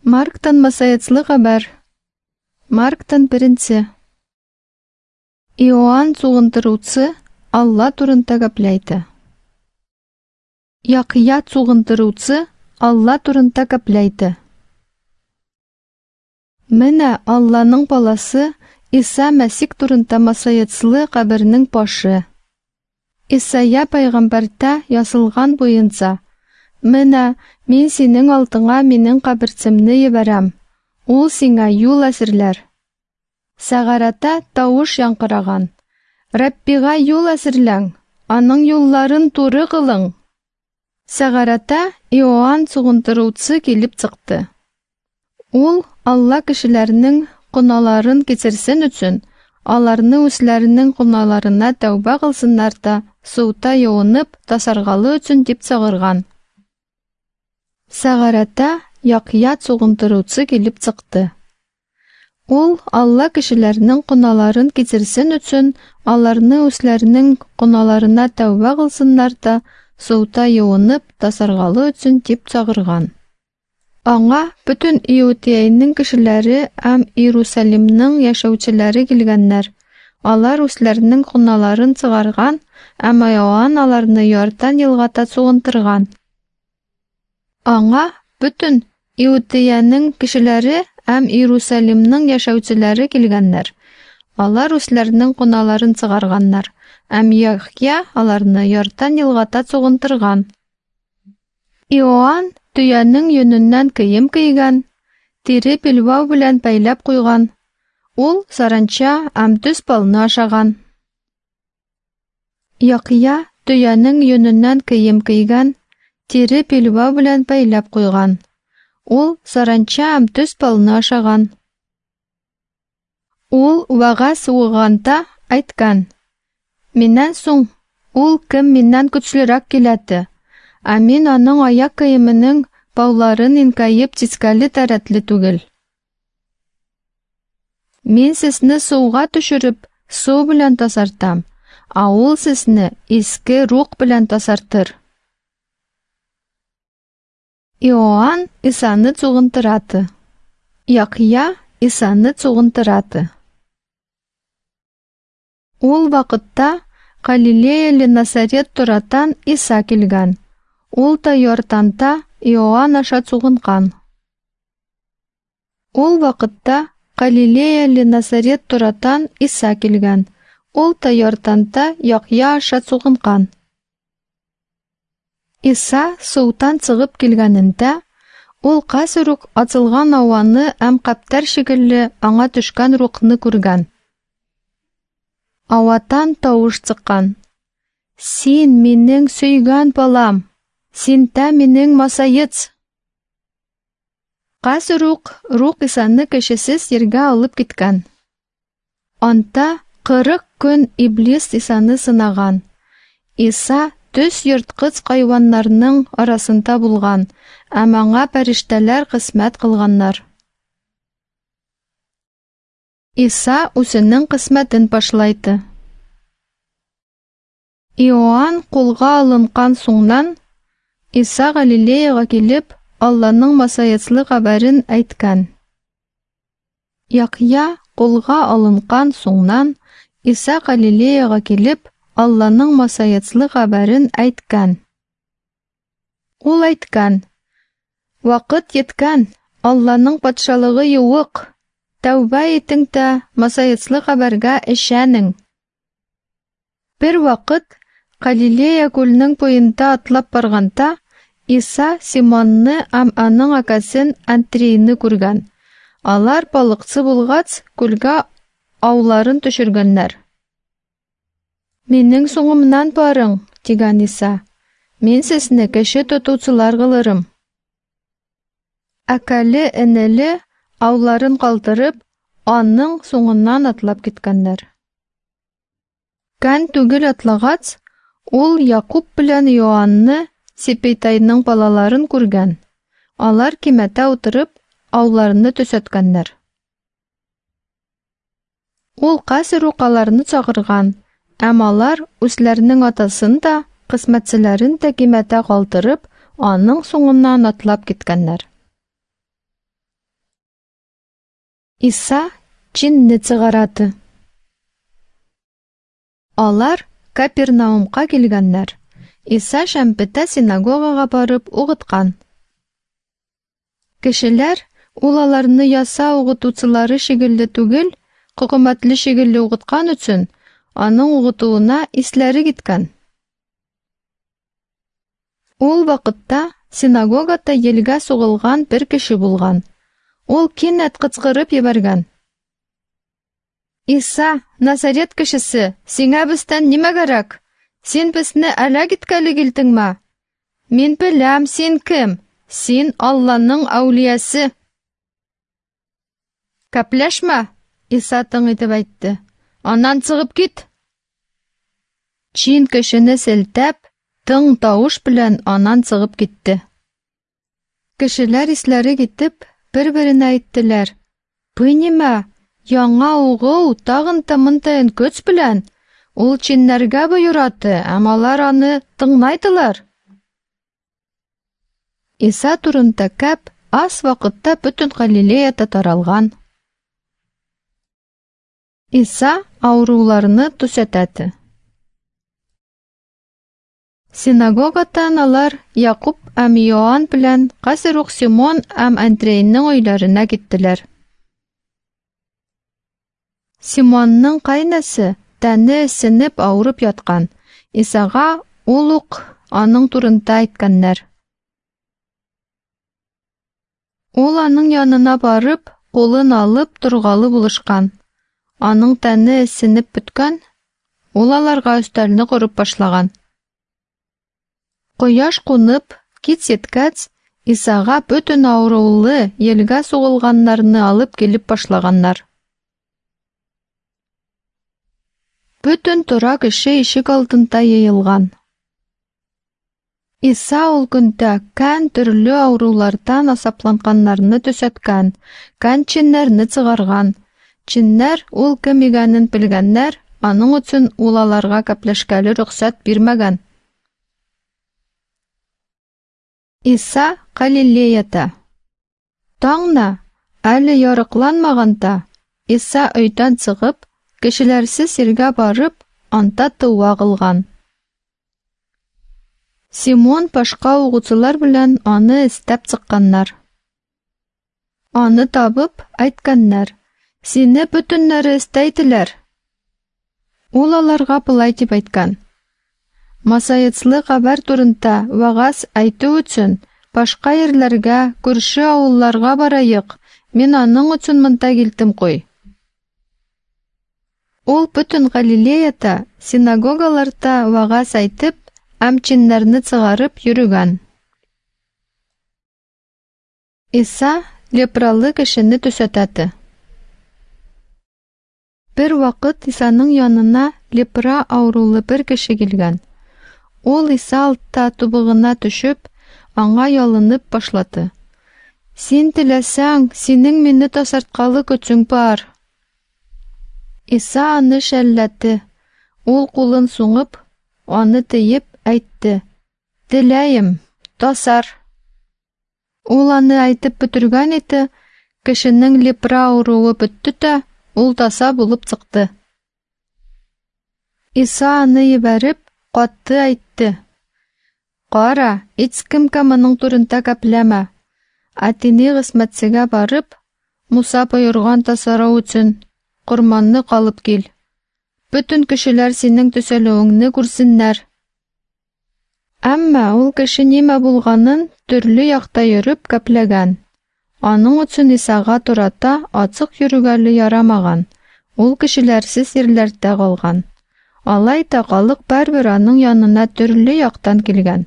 Марктан масаецлы хәбәр. Марктан беренче. Иоанн Цугынтыручы Алла турында гәпләйте. Яхъя Цугынтыручы Алла турында гәпләйте. Менә Алланың баласы Иса Мәсих турында масаецлы кабернең башы. Исайя пайгамбәрдә язылган буенча, Менә мин синең алдыңа минең каберчемне җибәрәм. Ул сиңа юл әзерләр. Сәгарәтә тавыш яңгыраган. Раббига юл әзерләң, аның юлларын туры кылың. Сәгарәтә Иоанн Сугынтыручы килеп чыкты. Ул Алла кешеләрнең гөнаһларын кичерсен өчен, аларны үзләренең гөнаһларына тәүбә кылсыннар да, суда юынып, тазаргалы өчен дип чыгарган. Сәгарәтә Яхъя Сугынтыручы килеп чыкты. Ул Алла кешеләрнең гөнаһларын кичерсен өчен, аларны үзләренең гөнаһларына тәүбә кылсыннар да, суда юынып, тазаргалы өчен дип чыгарган. Аңа бөтен Иудеянең кешеләре һәм Иерусалимның яшәүчеләре килгәннәр. Алар үзләренең гөнаһларын чыгарган, һәм Иоанн аларны Иордан елгада сугынтырган. Аңа бөтен Иудеянең кешеләре һәм Иерусалимның яшәүчеләре килгәннәр. Алар үзләренең гөнаһларын чыгарганнар, һәм Яхъя аларны Иордан елгада сугынтырган. Иоанн төянең йөненнән кием кигән, тире билбау белән бәйләп куйган. Ул саранча һәм төз балны ашаган. Яхъя төянең йөненнән кием кигән, тире билбау белән бәйләп куйган. Ул саранча һәм төз балны ашаган. Ул вәгазь укыганда әйткән: Миннән соң ул кем миннән көчлерәк киләте, ә мин аның аяк киеменең бауларын иңкәеп чискәле тәрәтле түгел. Мин сезне суга төшереп, су белән тазартам, ә ул сезне иске рух белән тазартыр. Иоанн Исаны цугынтыраты. Яхъя Исаны цугынтыраты. Ул вакытта Галилеяле Насарет торатан Иса килгән. Ул та Иорданда Иоанн аша цугынкан. Ул вакытта Галилеяле Насарет торатан Иса килгән. Ул та Иорданда Яхъя аша цугынкан. Иса судан чыгып килгәнендә, ул хәзер үк ачылган һаваны һәм каптар шикелле аңа төшкән рухны күргән. Аватан тавыш чыккан: Син минең сөйгән балам, син тә минең масаец. Хәзер үк рух Исаны кешесез җиргә алып киткән. Анда 40 көн Иблис Исаны сынаган. Иса төс ерткыч хайваннарның арасында булган, һәм аңа фәрештәләр хезмәт кылганнар. Иса үзенең хезмәтен башлайды. Иоанн кулга алынган соңнан Иса Галилеяга килеп, Алланың масаецлы хәбәрен әйткән. Яхъя кулга алынган соңнан Иса Галилеяга килеп, Алланың масаецлы хәбәрен әйткән. Ул әйткән: Вакыт еткән, Алланың патшалыгы юк. Тәүбә итең тә масаецлы хәбәргә ишәнең. Бер вакыт Галилея күленең буенда атлап барганда, Иса Симонны һәм аның акасын Андрейны күргән. Алар балыкчы булгач, күлгә ауларын төшергәннәр. Минең соңымнан барың, дигән Иса. Мин сезне кеше тотучылар кылырым. Әкәле энеле ауларын калдырып, аның соңыннан атлап киткәннәр. Кән түгел атлагач, ул Якуб белән Иоанны, Сепейтайның балаларын күргән. Алар кимәтә утырып, ауларны төзәткәннәр. Ул хәзер үк аларны чакырган, һәм алар үзләренең атасын да, хезмәтчеләрен дә кимәтә калдырып, аның соңыннан атлап киткәннәр. Иса чинне чыгараты. Алар Капернаумка килгәннәр. Иса шәмпетә синагогага барып угыткан. Кешеләр, ул аларны яса угытучылары шикелле түгел, хөкүмәтле шикелле угыткан өчен, аның угытуына исләре киткән. Ул вакытта синагогада елга сугылган бер кеше булган. Ул кинәт кычкырып җибәргән. Иса, Назарет кешесе, сиңа бездән нимә кирәк? Син безне әләк иткәле килдеңме? Мин беләм, син кем? Син Алланың әүлиясе. Кәпләшмә, Иса тың итеп әйтте. Аннан чыгып кит. Чин кешене селтәп, тың тавыш белән аннан чыгып китте. Кешеләр исләре китеп, бер-беренә әйттеләр. Бу нимә? Яңа угыл тагын та монтайын көч белән. Ул чиннәргә боераты, әм алар аны тыңнайдылар. Иса турында кәп аз вакытта бөтен Галилеяда таралган. Иса авыруларны төзәтәде. Синагогадан алар Якуб һәм Иоанн белән хәзер үк Симон һәм Андрейның өйләренә киттеләр. Симонның кайнасы тәне сенеп авырып яткан. Исага ул ук аның турында әйткәннәр. Ул аның янына барып, кулын алып торгалы булышкан. Аның тәне сенеп беткән, ул аларга өстәлне корып башлаган. Кояш кунып, кич еткәч, Исага бөтен авырулы, елга сугылганнарны алып килеп башлаганнар. Бөтен тора кеше ишек алдында йыелган. Иса ул көндә кән төрле авырулардан асапланганнарны төзәткән, кән чиннәрне чыгарган. Чиннәр ул кем икәнен белгәннәр, аның өчен ул аларга кәпләшкәле рөхсәт бирмәгән. Иса Галилеяда. Таңна, әле ярыкланмаганда, Иса өйдән чыгып, кешеләрсез җиргә барып, анда дога кылган. Симон башка угучылар белән аны эстәп чыкканнар. Аны табып, әйткәннәр: "Сине бөтеннәре эстәйделәр". Ул аларга болай дип әйткән: Масаецлы хәбәр турында вәгазь әйтү өчен башка җирләргә, күрше авылларга барайык. Мин аның өчен монда килдем куй. Ул бөтен Галилеяда синагогаларда вәгазь әйтеп, һәм чиннәрне чыгарып йөрегән. Иса лепралы кешене төзәтәде. Бер вакыт Исаның янына лепра авырулы бер кеше килгән. Ул Иса алтта тубыгына төшеп, аңа ялынып башлады. Син теләсәң, синең мине тазарткалы көчең бар. Иса аны шәлләде. Ул кулын суңып, аны тыеп әйтте: "Теләем, тазар". Ул аны әйтеп бетергән иде, кешенең лепра авыруы бетте дә, ул таза булып чыкты. Иса аны җибәреп, катты әйтте: "Кара, һичкемгә моның турында гәпләмә. Ә дини хезмәтчегә барып, Муса боерган тазару өчен корманны алып кил. Бөтен кешеләр синең төзәлүеңне күрсеннәр". Әмма ул кеше нимә булганын төрле якта йөреп кәпләгән. Аның өчен Исага турата ачык йөрүгәле ярамаган. Ул кешеләрсез җирләрдә калган. Алай да халык барыбер аның янына төрле яктан килгән.